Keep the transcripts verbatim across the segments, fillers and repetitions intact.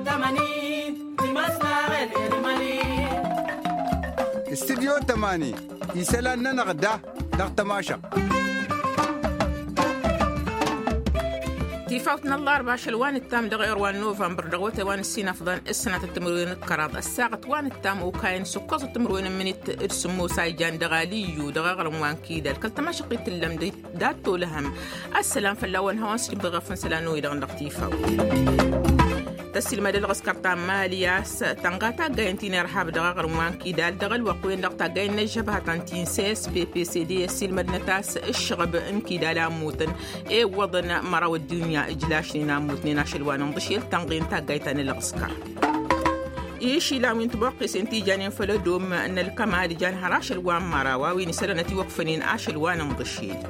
Tămani. Timăsnaɣen irmani. Studyo tămani isălan-nănăɣ da dăɣ-tămašăɣt. Tifawt n-ăllarba ašăl wa n-ǝttam dăɣ-iɣr wa n-novămbăr dăɣ-wătay wa n-ǝssin afḍăn s-sănatăt timǝrwen d-kăraḍ ăssaɣăt wa n-ǝttam okayăn s-ǝkkoẓăt timǝrwen n-imǝnit d-sǝmmos a ijan dăɣ-aliyyu dăɣ-iɣrǝm wa n-kidal kăl-tămašăɣt i-tǝllăm d-ad-tolăhăm. Ăssălam fălla-wăn hawăn-sǝjǝm dăɣ-efăn isălan n-oy-dăɣ n-dăɣ-tifaw. Tăssilmăd ălɣǝskăr ta n-mali a-s tănɣa taggayen ti n-irhab dăɣ-iɣrǝm wa n-kidal dăɣ-ălwăqq-wen-dăɣ taggayen n-ăžžăbhatăn ti n-csp pcd ăssilmădnăt a-s ǝššăɣăb n-kidal a ămmutăn. Iwwăḍăn măraw ăddunya ǝjlašnen a ămmutnen ašăl wa n-inḍǝšel tănɣe n-taggayt ta n-ălɣǝskăr. Išilan wi n-tiboqqesen ti janen făll-ădom n-ălkăma ad-ijan har ašăl wa n-măraw a-wen isălan ătiwăkfănen ašăl wa n-inḍǝšel.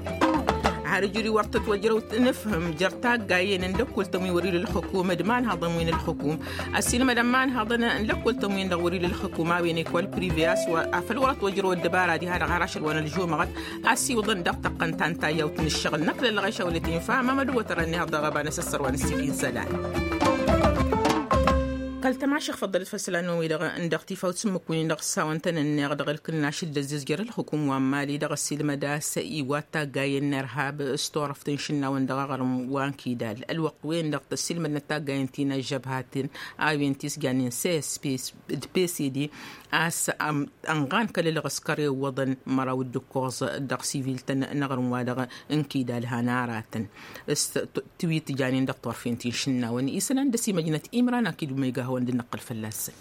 Har ǝjuri wăr tătwăjrăw nǝfhǝm jer-taggayen n-lăkkoltăn wi wăr-ila ălxukum d-imanhăḍăn wi n-ălxukum. Ăssiilmădăn imanhăḍăn n-lăkkoltăn-win-dăɣ wăr-ila ălxukum a-wen ekol prive a-s afăl wăr-ătwăjrăw ăddăbara diha-dăɣ har ašăl wa n-ălžumăɣăt. A-s iwǝḍăn dăɣ-tăqqăn ta n-tayyawt n-ǝššăɣǝl n-ăkk lăllăɣeš a wăla t-infa amam ădduwăt ărăn iha dăɣ-ăba n-asăssăr wa n-ǝssin isălan. Kăl-tămašăɣ făḍḍălăt făll-isălan n-oy-dăɣ n-dăɣ-tifawt s-ǝmmǝk-win-dăɣ s-hawăn-tăn-ănneɣ dăɣ-ălkǝnnaš d-ăzzizjăr ălxukum wa n-mali dăɣ-ăssiilmăd a-s iwat taggayen n-irhab s-turăft n-išǝnnawăn dăɣ-aɣrǝm wa n-kidal ălwăqq-wen-dăɣ tăssiilmădnăt taggayen ti n-ăžžăbhaten a-wen ti s-jannen csp d-pcd. A-s ănɣan kăl-ǝlɣǝskăr iwwăḍăn măraw d-ǝkkoẓ dăɣ-sivil-tăn n-aɣrǝm-wa-dăɣ n-kidal han aratăn s-tiwit janen dăɣ-turfen ti n-išǝnnawăn isălan d-ăsimăjnăt imran akid umăyga hawăn-dd-năqqăl fălla-săn.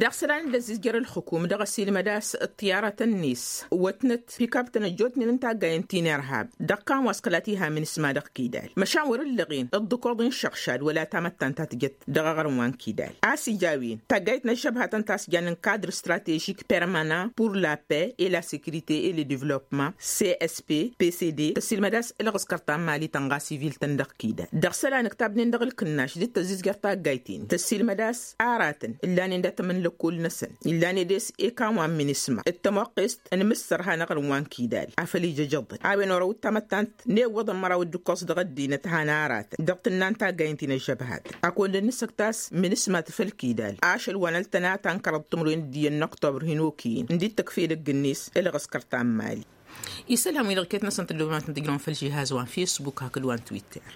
Dăɣ-isălan d-ăzzizjăr ălxukum dăɣ-ăsilmăd a-s ăṭṭiyarătăn-net wătnăt pikaptăn ăjjootnen n-taggayen ti n-irhab dăɣ-ikan wa s-kăla t-iha minisma dăɣ-kidal măšan wăr-ǝllăɣen d-ǝkkoḍ n-išăɣšad wăla tamăttant ta tǝjăt dăɣ-aɣrǝm wa n-kidal a-s ija a-wen taggayt n-ăžžăbhatăn ta s-jannen kadr stratežik permanant pour la paix et la sécurité et le développement csp pcd tăsilmăd a-s ǝlɣǝskăr ta n-mali tănɣa sivil-tăn dăɣ-kidal dăɣ-isălan ǝktabnen dăɣ-ǝlkǝnnaš d-tăzzizjăr taggayt-in tăssilmăd a-s aratăn ǝllanen dat-ămǝnlăkkol-năsăn ǝllanen des ekan wa n-minisma d-tămoqqest n-imǝssăr han aɣrǝm wa n-kidal afăl ija ijăḍăn a-wen orăw d-tamăttant n-iwwăḍăn măraw d-ǝkkoẓ dăɣ-ăddinăt han aratăn dăɣ-tǝnna n-taggayen ti n-ăžžăbhat. Akund ănnăsăk ta s-minisma tǝfăl kidal ašăl wa n-ăltăna ta n-kăraḍ timǝrwen d-iyyăn n-oktobr hin-okǝyǝn ǝndi d-tăkf edăgg-net ǝlɣǝskăr ta n-mali. Isălan-wi-dăɣ iket-năsăn tǝllǝwăm ad-tǝn-tǝjrăwăm făll-žihaz wa n-fisbuk hakd wa n-twitter.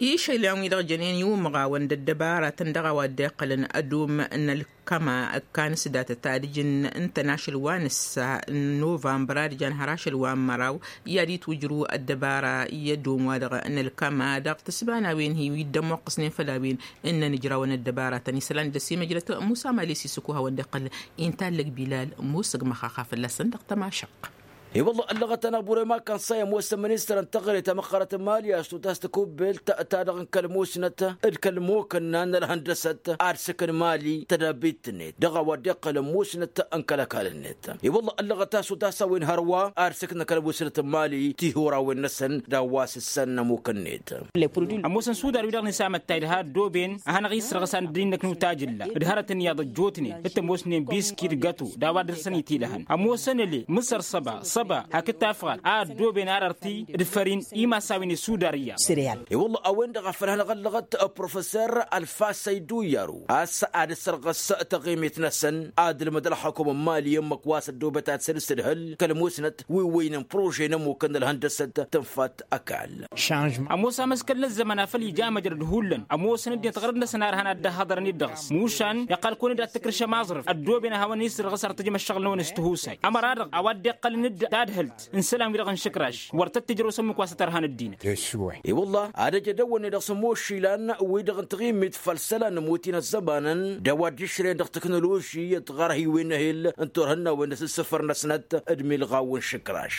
Išălan-wi-dăɣ jănen i-umɣawăn d-ăddăbaratăn dăɣ-a-wa dd-iqqălăn ădom n-ălkăma ǝkkan s-datăt ad-ǝjǝn ǝntăn ašăl wa n-ǝssa n-novămbăr ad-ǝjan har ašăl wa n-măraw i-ad-itwǝjrǝw ăddăbara i-ădom-wa-dăɣ n-ălkăma dăɣ-tǝsbanawen-hi wi dd-ămmuqqăsnen făll-a-wen ǝnnăn ǝjrawăn ăddăbaratăn isălan d-ăsimăjrăt musa mali s-isǝkuhawăn d-iqqăl intallăg bilal musăg măxaxa fălla-săn dăɣ-tămašăɣt. I-wălla ăllăɣăt-anăɣ burema kănsa i-ămoosăn ministăr n-teɣăre ta măqqărăt n-mali a-s tutas tăkubbelt ta dăɣ-n kăl-musnăt d-kăl-mukǝnna n-ălhăndăsăt ad-sǝkǝn mali tădabbit-net dăɣ-a-wa dd-iqqălăn musnăt n-kăl-ăkall-net. I-wălla ăllăɣăt a-s tutas a-wen hărwa ad-sǝknăn kăl-musnăt n-mali tihurawen-năsăn d-a-wa s-ǝssan n-ămuk-net. Ămoosăn sudar wi-dăɣ n-isamăttay d-ha ăddooben a hanăɣ-isrăɣsan dd-innăknu tajǝlla d-hărăt n-iyyăḍ ăjjootnen d-tămoosnen biski d-găto d-a-wa dăr-săn itilăhăn ămoosăn ăle mǝsăr săba săba hakd tafɣalt a ăddooben arărti d-fărin imasawen i-sudar iyyăḍ. I-wălla a-wen-dăɣ a făl hanăɣ-ăllăɣăt professor alfasăy duyyăru a-s ad-ăssărɣăs taɣimit-năsăn ad-ǝlmǝd ălxukum n-mali ǝmmǝk wa s-ăddoobăt ad-săn-ǝstǝdhǝl kăl-musnăt wi ǝwwăynen prože n-ămmukăn n-ălhăndăsăt tǝnfat ăkall. Ămoos amăskăl n-ăzzăman a făl ija amăjrăd hullan ămoosăn ăddinăt ɣărăd-năsăn a ărhan ad-dd-ăhhăḍărăn-dd dăɣ-s mušan iqqăl-kăwăn-dd ad-tǝkrǝšăm aẓrǝf ăddooben ad-hawăn-isǝrɣǝs ar tǝjăm ăššăɣǝl-năwăn s-tihusay ămăra-dăɣ a-wa dd-iqqălăn-dd d-adhǝlt n-isălan-wi-dăɣ n-išǝkraš wăr tăt-tǝjrăw s-ămmuk wa s-ătărhan ăddinăt. I-wălla ad-ăj edăwănne dăɣ-sǝmmošilăn-wi-dăɣ n-taɣimmit făll-isălan n-ămotin ăzzămanăn d-a-wa dd-išrăyăn dăɣ-teknoloži d-ɣărhǝywen n-ehel n-turhǝnnawen d-asǝssǝfăr-năsnăt d-milɣaw n-išǝkraš.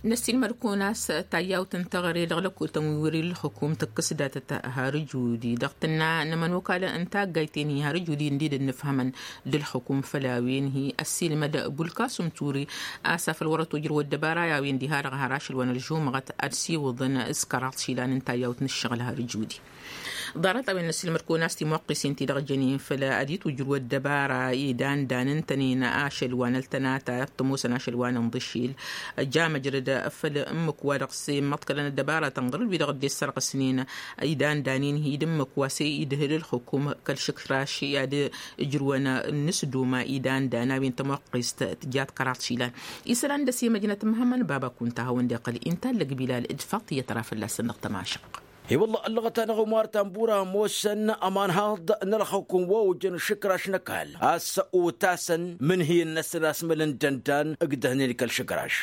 Năssiilmăd-kăwăn a-s tayyawt n-teɣăre dăɣ-lăkkultăn wi wăr-ila ălxukum tǝkkǝs datăt har ǝjudi dăɣ-tǝnna n-ămănokal n-taggayt-en-hi har ǝjudi ǝnded ănnǝfhămăn d-ălxukum făll-a-wen-hi ăssiilmăd bulkasum turi a-s afăl wăr-ătwăjrăw ăddăbara i-a-wen diha-dăɣ har ašăl wa n-ălžumăɣăt ad-siwǝḍăn s-kăraḍ išilan n-tayyawt n-ǝššăɣǝl har ǝjudi. Ḍarăt a-wen n-ăssiilmăd-kăwăn a-s timuqqis-in ti-dăɣ jănen făll-ad-itwǝjrǝw ăddăbara idan dan ǝntănen ašăl wa n-ăltănata t-ămoosăn ašăl wa n-inḍǝšil. Ja măjrăd făll-ǝmmǝk wa dăɣ-s immăḍkălăn ăddăbara tănɣăr-dd wi-dăɣ dd-issărɣǝsnen idan dan-in hi-dd ǝmmǝk wa s-e-idhǝl ǝlxǝkum kăl-išǝkraš i-ad-ǝjrǝwăn n-asduma idan dan a-wen tămoqqist tǝjat kăraḍ išilan. Isălan dăr-s i-măjnăt n-măhămmăn baba kunta hawăn-dd-iqqăl inta ǝllăg bilal d-faḍt iyyăt ra fălla-săn dăɣ-tămašăq. I-wălla ăllăɣăt-anăɣ omar tambura ămoosăn ămanhăḍ n-ălxăkum wa ojăn išǝkraš n-ăkall a-s otasăn mǝnhǝyăn-năsăn asmălăn dăndan ǝgdăhnen kăl-išǝkraš.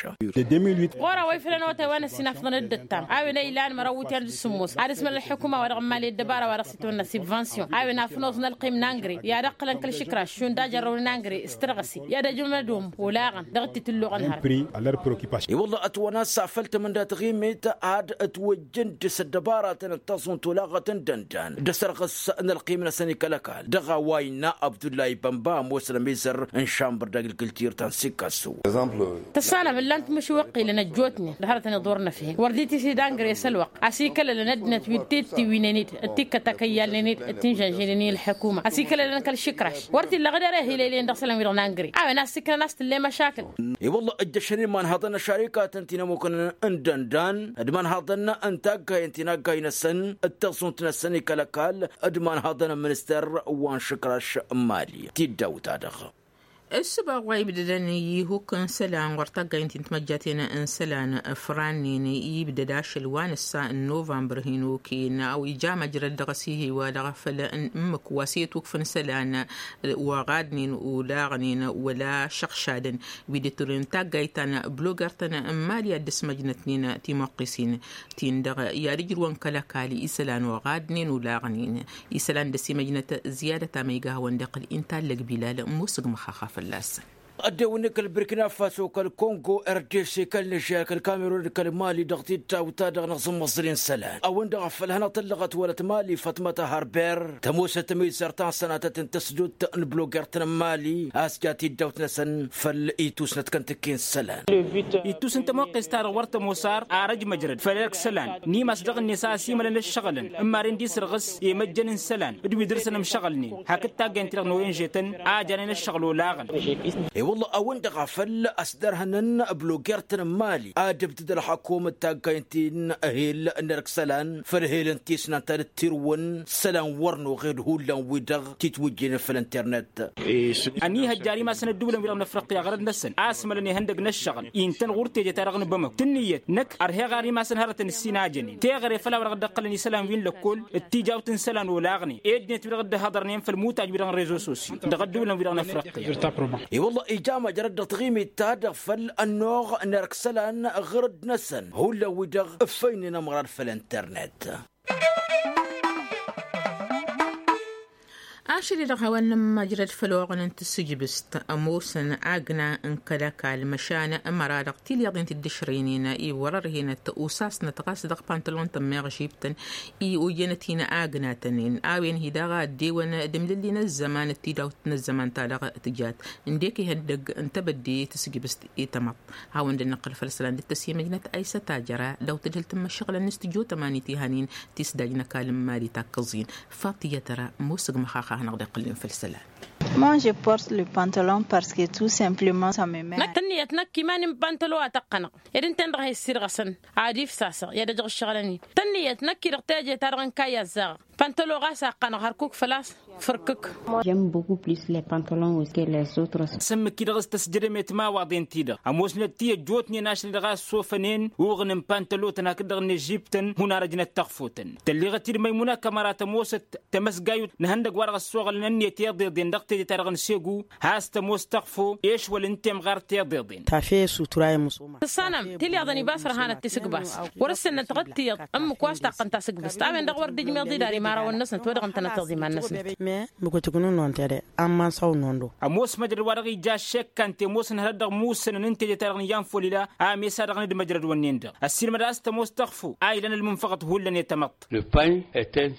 Ɣur-a-wa iflăn otay wa n-ăssinafḍăn dd-ăttam a-wen a ilan măraw iwǝtyan d-sǝmmos ad-ǝsmăl ălḥukuma wa dăɣ-n mali ăddăbara wa dăɣ-s itwănna sibvansiyon a-wen afnoẓ n-ălqim n-angre i-ad-ăqqǝlăn kăl-išǝkraš šund ajărrăw n-angre s-tărɣǝse i-ad-ăjmădom olaɣăn dăɣ-t-tǝlluɣăn hărăt. I-wălla ătwănna s-afăl tămănda tăɣimit ad-ătwăjjăn dăr-s ăddăbaratăn d-taẓunt olaɣăt n-dăndan d-asărɣǝs n-ălqim-năsăn i-kăl-ăkall dăɣ-a-wa innă abdullahi bănba ămoosăn ămizăr n-šambăr d-agrikultir ta n-sikkasu. Tăssanăm ǝllan-t măšuwăqqilăn ăjjootnen d-hărătăn iḍor n-efhen wăr dd-tisǝdangre s-ălwăqq a-s ikălălăn ăddinăt wi t-tiwǝynen-dd d-tikkăt akăyyalnen-dd d-tinžănžăynen i-ălḥukuma a-s ikălălăn kăl-išǝkraš wăr t-illa ɣǝd ere hilăylen dăɣ-isălan wi-dăɣ n-angre a-wen a-s iknăn a-s tǝllem ašakǝl. I-wălla ǝjjăšăn imanhăḍăn n-ašarikatăn ti n-ămmukăn n-dăndan d-imanhăḍăn n-taggayen ti n-aggay-năsăn d-taẓunt-năsăn i-kăl-ăkall d-imanhăḍăn n-minister wa n-išǝkraš n-mali tiddawt-ta-dăɣ. Ǝssǝbaɣ wa ibdădăn i-ihuk n-isălan ɣur-taggayen ti n-timăjjaten n-isălan fărannen ibdăd ašăl wa n-ǝssa n-novămbăr hin-okăyăn a-wa ija măjrăd dăɣ-s ihi wa dăɣ-afăl n-ǝmmǝk wa s-e-tukǝf n-isălan wa ɣadnen olaɣnen wăla šăɣšadăn wi dd-turǝyăn taggayt ta n-bloger-tăn n-mali ad-dd-sǝmăjnătnen timuqqis-in-tin-dăɣ i-ad-ǝjrǝwăn kăl-ăkall isălan wa ɣadnen olaɣnen isălan dăr-s imăjnăt ziyadăt a ma iga hawăn-dd-iqqǝl inta ăllăg bilal musǝgmăx axa fălla-săn. Ăddewăn-i kăl-burkina faso kăl-kongo rdc kăl-nižer kăl-kamerun d-kăl-mali dăɣ-tiddawt-ta-dăɣ n-aẓǝmmăẓri n-isălan a-wen-dăɣ a făl hanăɣ-tăllăɣăt wăla t-mali fatmăta harber tămoosăt ămizăr ta n-sănatăt n-tăsdut n-bloger-tăn n-mali a-s ja tiddawt-năsăn făll-itusnăt kăntǝkki n-isălan. Ittus n-tămoqqes-ta-dăɣ wăr tămoos ar arăj măjrăd făll-erk isălan n-imas dăɣ-net a ăsimălăn ǝššăɣǝlăn ǝmmaren d-isǝrɣǝs i-măjjăn n-isălan d-wi dăr-săn ǝmšăɣǝlnen hakd taggaynt-dăɣ n-oyenže-tăn a janen ǝššăɣǝl olaɣăn. I-wălla a-wen-dăɣ a făl ăsdărhănăn bloger-tăn n-mali ad-ǝbdǝd ălxăkum d-taggaynt-in ehel n-erk isălan făll-ehel n-tisnant ad-dd-tirǝwăn isălan wăr n-oɣed hullan-wi-dăɣ titwǝjjinen făll-internet. Ănihăjja ar imasăn ădduulăn-wi-dăɣ n-afriqya ɣărăt-năsăn a-s mălăn ihăndăg n-ăššăɣǝl intăn ɣur-teje-ta-dăɣ n-bamăk tǝnniyăt năkk ărheɣ ar imasăn hărătăn ǝssin a jănen teɣăre făll-a-wa dăɣ-dd-ăqqălăn isălan wi n-lăkkol d-tijawt n-isălan olaɣnen ed-net wi-dăɣ dd-ăhhăḍărnen făll-imutaj-wi-dăɣ n-rezo sosyo dăɣ-ădduulăn-wi-dăɣ n-afriqya. I-wălla ija măjrăd dăɣ-taɣimit-ta-dăɣ făll-ănnuɣ n-erk isălan ɣǝrǝd-năsăn hullan-wi-dăɣ ǝffăynen ămɣărad făll-internet. Ašăl-i-dăɣ hawăn-nǝmmăjrăd făll-oɣăn n-tasǝjbǝst ămoosăn agna n-kăl-ăkall măšan ămăra-dăɣ tilyaḍen ti dd-ǝšrăynen i-wăr-ărhenăt usasnăt ɣas dăɣ-pantalon-tăn meɣ žibtăn i-ojenăt hin-agnatăn-in a-wen-hi daɣ a ăddewăn d-imlǝlli n-ăzzăman d-tidawt n-ăzzăman-ta-dăɣ tǝjat ǝndek ihăndăgg n-tebădde tasǝjbǝst i-tamăḍt. Hawăn-dd-nǝqqǝl făll-isălan dd-tăsimăjnăt aysăt ajăra daw-tǝdhǝl tǝmmǝššăɣǝlăn n-studyo tămani tihanin tisdaj n-ăkall n-mali takkăẓ-in. Faḍt iyyăt ăra ămoos ǝgmăx axa a hanăɣ-dd-iqqǝlnen făll-isălan. Moi je porte le pantalon parce que tout simplement ça me met. Năkk tǝnniyăt năkk iman-in pantalo a tăqqănăɣ ed ǝnta-en-dăɣ he-issirɣăsăn ad-ifsasăɣ i-ad-ăjăɣ ǝššăɣǝlăn-in. Tǝnniyăt năkk-i-dăɣ teje-ta-dăɣ n-kayy azzaɣăɣ pantalo ɣas a qqănăɣ hărkuk făl-a-s fǝrkǝk. J'aime beaucoup plus les pantalons aussi que les autres. S-ǝmmǝk-i-dăɣ s-tăsjădăm i-timawaḍen-ti-dăɣ ămoosnăt ti ăjjootnen ašăl-i-dăɣ a ăssofănen uɣǝn n-pantalotăn hakd-dăɣ n-ežibtăn hunarăjnăt taɣfotăn. Tălliɣăt-dd măymuna kămăra tămoosăt tamăsgayut n-ihăndăg wa dăɣ-ăssoɣălăn ǝnniyăt iḍeḍen dăɣ-teje-ta-dăɣ n-segu has-tămoos taɣfo ešwăl n-temɣart iḍeḍen. Tăssanăm tilyaḍăn ibas ărhanăt tisǝgbas wăr-ǝssǝnnăt ɣǝd tiyyăḍ ǝmmǝk wa s-taqqăn tasǝgbǝst a-wen-dăɣ wăr dd-ijmeḍ-dd ar imarawăn-năsnăt wa dăɣ-ǝntănăteḍ iman-năsnăt. Mǝkutǝk n-unnon tede. Ămoos măjrăd wa dăɣ-ija aššekkante ămoosăn hărăt dăɣ-imussănăn n-teje-ta-dăɣ n-iyyăn folila a mesa dăɣ-nǝdmăjrăd wănnen-dăɣ ăssiilmăd a-s tămoos tăɣfo a ilăn ălmunfăɣăt hullan i-tamăḍt.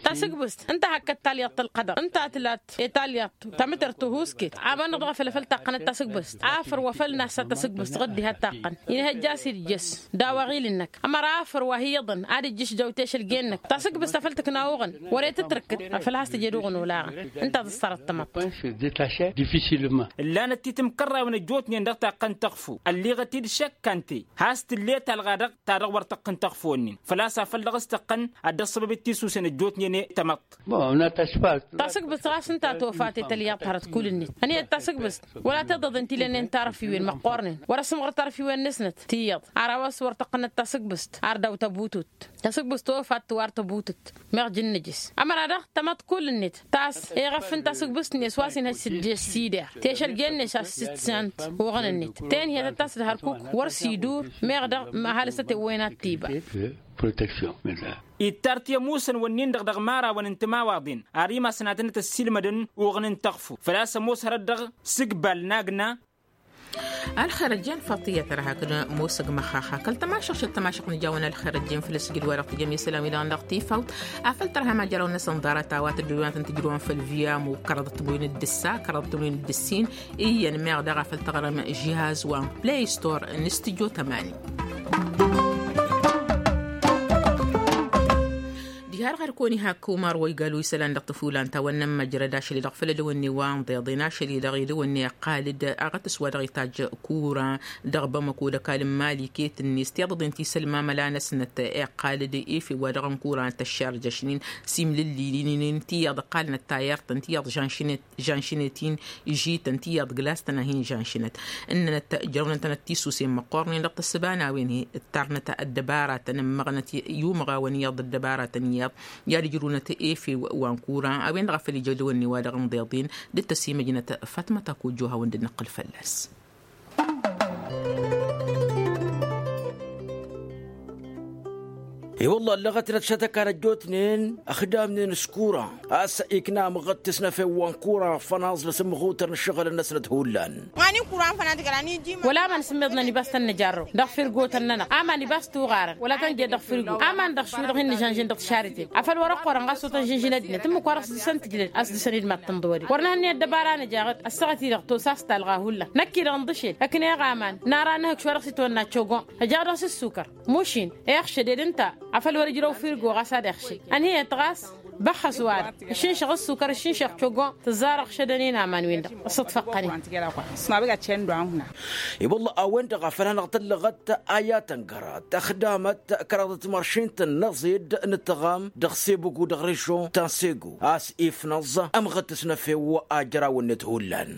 Tasǝgbǝst ǝnta hakkăt talyaḍt ălqădăr ǝnta a tǝlat i-talyaḍt tamǝtărt tuhusket. Aman-dăɣ dăɣ-afăl afăl taqqănăt tasǝgbǝst afăr wa făl nassa tasǝgbǝst ɣǝddi ha t-taqqăn inhăjja a-s idjăs. Daw-aɣil-năk ămăra afăr wa hi-iyyăḍăn ad-ǝjjǝš jawt ešălgen-năk tasǝgbǝst afăl tǝkna uɣǝn. Wăr-e tǝtrǝkkǝd afăl has-tǝjed uɣǝn olaɣăn. Ǝnta ad-ăṣṣărăt tamăḍt. Ǝllanăt titǝmkărrayăn ăjjootnen dăɣ-taqqăn tăɣfo ălliɣăt-dd šăkk ante. Has-tǝllet alɣa dăɣ-ta-dăɣ wăr tăqqǝn tăɣfo-nin făl-a-s afăl dăɣ-s tăqqăn. Ad-dd-ăṣṣăbăb d-tisusen ăjjootnen i-tamăḍt. Tasǝgbǝst ɣas ǝnta a tofat i-tălyăḍt hărăt kull-net ăniyăt tasǝgbǝst. Wăla tiḍăḍen ti lănnen tarăfiwen măqqoornen wăr-ăsmăɣăr tarăfiwen-năsnăt tiyyăḍ. Ar a-wa s-wăr tăqqănăt tasǝgbǝst ar daw-tăbutut. Tasǝgbǝst tofat tǝwar tăbutut. Meɣ jǝnnǝjǝs ămăra-dăɣ tamăḍt kull-net tas eɣăf n-tasǝgbǝst-net wa s-inhăj s-dd-sidar. Tešăljen-net a-s s-tǝsant uɣǝn-net tenhiyăt ad-tas-dd hărkuk wăr s-idur. Meɣ-dăɣ ăhalǝs ătewăyăn ad-t-iba. Protection. Ittar ti ămoosăn wănnin-dăɣ dăɣ-imarawăn n-timawaḍen ar imasnatăn ad-t-ăssiilmădăn uɣǝn n-tăɣfo făl-a-s ămoos hărăt dăɣ-sǝgbal n-agna. Ălxer ăjjeen faḍt iyyăt ărha hakd ămoos ăgg măxxax hakăl tămašăɣt šăt tămašăɣt n-ijawăn ălxer ăjjeen făll-ăsjid-wa-dăɣ tǝjăm i-isălan-wi-dăɣ dăɣ-tifawt. Afăl tărhăm ajărăw-năsăn ḍarăt a-wa tăddoyăn ad-tăn-tǝjrǝwăn făll-viyamu kăraḍăt timǝyun d-ǝssa kăraḍăt timǝyun d-ǝssin. Iyyăn meɣ daɣ afăl tăɣrăm žihaz wa n-play store n-studio tămani. Diha-dăɣ ad-kăwăn-ihak umar wa igal wi isălan dăɣ-tăfulanta wa n-nămmăjrăd ašăl-i-dăɣ făll-edăwănne wa n-iḍeḍen ašăl-i-dăɣ edăwănne iqqal-dd aɣătǝs wa dăɣ-itajj kura dăɣ-bamăko d-ăkall n-mali iket-net tiḍăḍen ti sălmamăla-năsnăt iqqal-dd efew wa dăɣ-n kura n-tăššarjăšnen s-imlǝllilin tiyyăḍ ǝqqalnăt tayărt n-tiyyăḍ žănšnet žănšnet-in žităn tiyyăḍ glas-tăn a hin-žănšnet. Ǝnnănăt jărăwnăn-tănăt tisusen măqqoornen dăɣ-tăssǝba n-a-wen ǝttarnăt ăddăbaratăn ǝmmăɣnăt i-umăɣawăn iyyăḍ ăddăbaratăn iyyăḍ i-ad-ǝjrǝwnăt efew wa n-kura a-wen-dăɣ a făl ija edăwănne wa dăɣ-inḍeḍen dd-tăsimăjnăt. Fatmăt akojjo hawăn-dd-nǝqqǝl fălla-s. I-wălla ăllăɣăt-năt šătăkan ăjjootnen ăxdamnen s-kura a-s ikna amɣăt tǝsnăfen wa n-kura fănaẓ n-asǝmmăɣutăr n-ǝššăɣǝl-năsnăt hullan. Wăla aman s-ǝmmiḍnăn ibas tăn-nǝjarrăw dăɣ-firgotăn-nănăɣ aman ibas tuɣarăn wăla tăn-jed dăɣ-firgo aman dăɣ-šwi-dăɣ hin-nǝžănžin dăɣ-tišarităt. Afăl wăr-ăqqurăn ɣas otăn žănžin ăddinăt ǝmmǝk wa dăɣ-s dăr-săn tǝjlăd a-s dăr-săn-dd mad-tǝnḍǝwăd-i wăr nǝhǝnnǝyăt dăbara nǝjaɣ-dd ăssaɣăt-i-dăɣ tos a-s talɣa hullan năkk-i-dăɣ ǝnḍǝšel ăknăyăɣ aman n-ara n-ehăkš wa dăɣ-s itwănna cogon. Ăjaɣ dăɣ-s ǝssukăr mušin. Iɣšăd ed ǝnta afăl wăr-ǝjrăw firgo ɣas ad-iɣšǝy ănhǝyăt ɣas băxxăs wa-dăɣ ǝššǝnšăɣ ǝssukăr ǝššǝnšăɣ cogon tǝzzar ăɣšădăn-in aman-win-dăɣ. Ǝssǝḍfăqqăn-in. I-wălla a-wen-dăɣ a făl hanăɣ-tăllăɣăt a i-ad-tăngărăt ăxdamăt kăraḍăt timăršin-tăn n-aẓid n-ǝttăɣam dăɣ-sebugu dăɣ-režon ta n-segu a-s ifnăẓ ămɣăt tǝsnăfew a jărawăn-net hullan.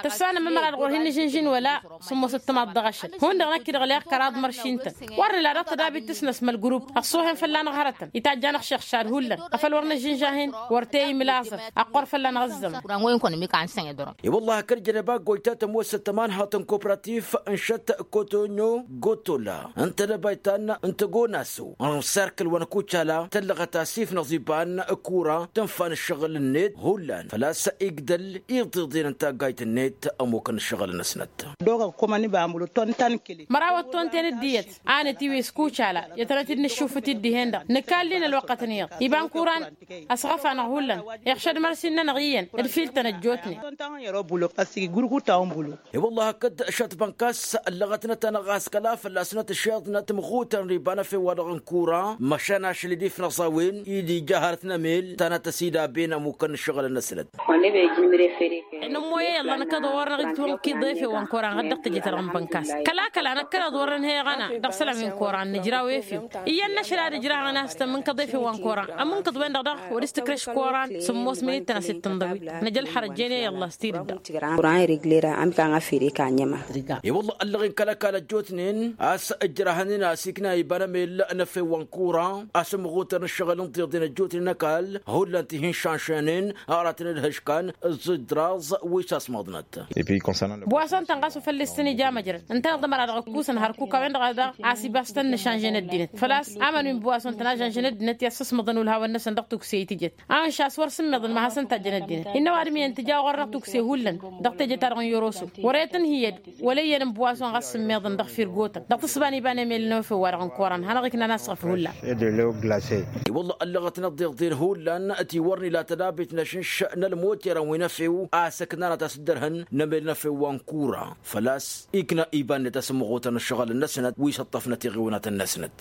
Tăssanăm ămăra-dăɣ wăr hin-nǝžǝnžin wăla sǝmmos ǝttămaḍ dăɣ-ašăl hundăɣ năkk-i-dăɣ leɣ kăraḍ măršin-tăn. Wăr nǝla dăɣ-tădabit tǝsnăs mălgrub ăṣṣuhen fălla-năɣ hărătăn itajj-anăɣ šăɣšad hullan. Afăl wăr nǝžžǝnža-hin wăr te-imǝl aẓăf ăqqur fălla-năɣ ǝzzăman. I-wălla hakd jănăba gojta tămoosăt tămanhăḍt n-kopratif n-šăt kotonyo gotola n-tedăbayt ta n-tăgonaso n-serkǝl wa n-kucala tăllăɣăt asif n-aẓiban kura tǝnfa n-ǝššăɣǝl-net hullan făl-a-s igdăl iḍeḍen n-taggayt-net ămmukăn ǝššăɣǝl-năsnăt. Măraw ăttonten dd-iyyăt anăt-iwes kucala i-ad-tănăt-dd-nǝššufǝt-dd dihen-dăɣ nǝkall'-in ălwăqqăt n-iyyăḍ iba n-kuran. Ăsɣăf-anăɣ hullan iɣšăd mărsin-nănăɣ iyyăn d-fil-tăn ăjjootnen. I-wălla hakd šăt bănkas ăllăɣătnăt-anăɣ a-s kăla fălla-snăt ǝššeḍnăt măɣutărăn iba n-efew-wa-dăɣ n-kura măšan ašăl-i d-ifnăẓ a-wen-i d-ija hărăt n-emel tanăt-ăsidabin ămmukăn n-ǝššăɣǝl-năsnăt. Nǝmmoy i-ălla năkkăḍ wăr-năɣ-dd-tihăwăn kăḍ efew wa n-koran ɣǝddăɣ tejăt-dăɣ n-bănkas kăla-kăla năkkăneḍ wăr-nǝnhăyăɣ-anăɣ dăɣ-isălan wi n-koran nǝjraw efew. Iyyăn n-ašăl ad-ǝjrahăɣ-năsăn mǝnkăḍ efew wa n-koran ămǝnkăḍ-wen-dăɣ daɣ wăr-s tǝkrăš koran sǝmmos minittăn a-s dd-tǝnḍăwit. Năj ălxărăt jene i-ăllah s-tidǝdda. Kuran ireglera ămik a n-afere ka n-ema. I-wălla ăllăɣen kăla-kăla ăjjootnen a-s ǝjrahăn-in a-s ikna iba n-emel n-efew wa n-kura a-s ămɣutăr n-ǝššăɣǝl n-tiḍen ăjjootnen ăkall hullan ti hin-šanšănen. Aratăn d-hǝškan ǝẓẓǝj d-raẓ wi s-asmăḍnăt. Buwason-tăn ɣas wa făl-s tăn-ija măjrăd ǝntăneḍ ămăra dăɣ-ǝkkusăn hărkuk a-wen-dăɣ a daɣ a-s ibas tăn-nǝšanžăn ăddinăt făl-a-s aman wi n-buwason-tăn a žănžăn ăddinăt i-ad-săsmăḍăn ulhawăn-năsăn dăɣ-tukse i-tijăt. Anša a-s wăr sǝmmiḍăn ma hasăn-tajjăn ăddinăt innă ăwadǝm iyyăn tǝja ɣur-năɣ tukse hullan dăɣ-teje-ta-dăɣ n-yoroso. Wăr-e tǝnhǝyăd wăla iyyăn n-buwason ɣas sǝmmiḍăn dăɣ-firgotăn dăɣ-tǝsba n-iba n-emel n-efew-wa-dăɣ n-koran hanăɣ-iknan asɣăf hullan. I-wălla ăllăɣăt n-ăḍḍeḍen hullan ti wăr n-ila tădabit n-ašǝnš n-ălmoterăn wi n-efew a-s ǝknanăt a-s dd-ărhăn n-emel n-efew wa n-kura făl-a-s ikna iba-net asǝmmăɣutăn ǝššăɣǝl-năsnăt wi s-ǝṭṭăfnăt iɣiwănatăn-năsnăt.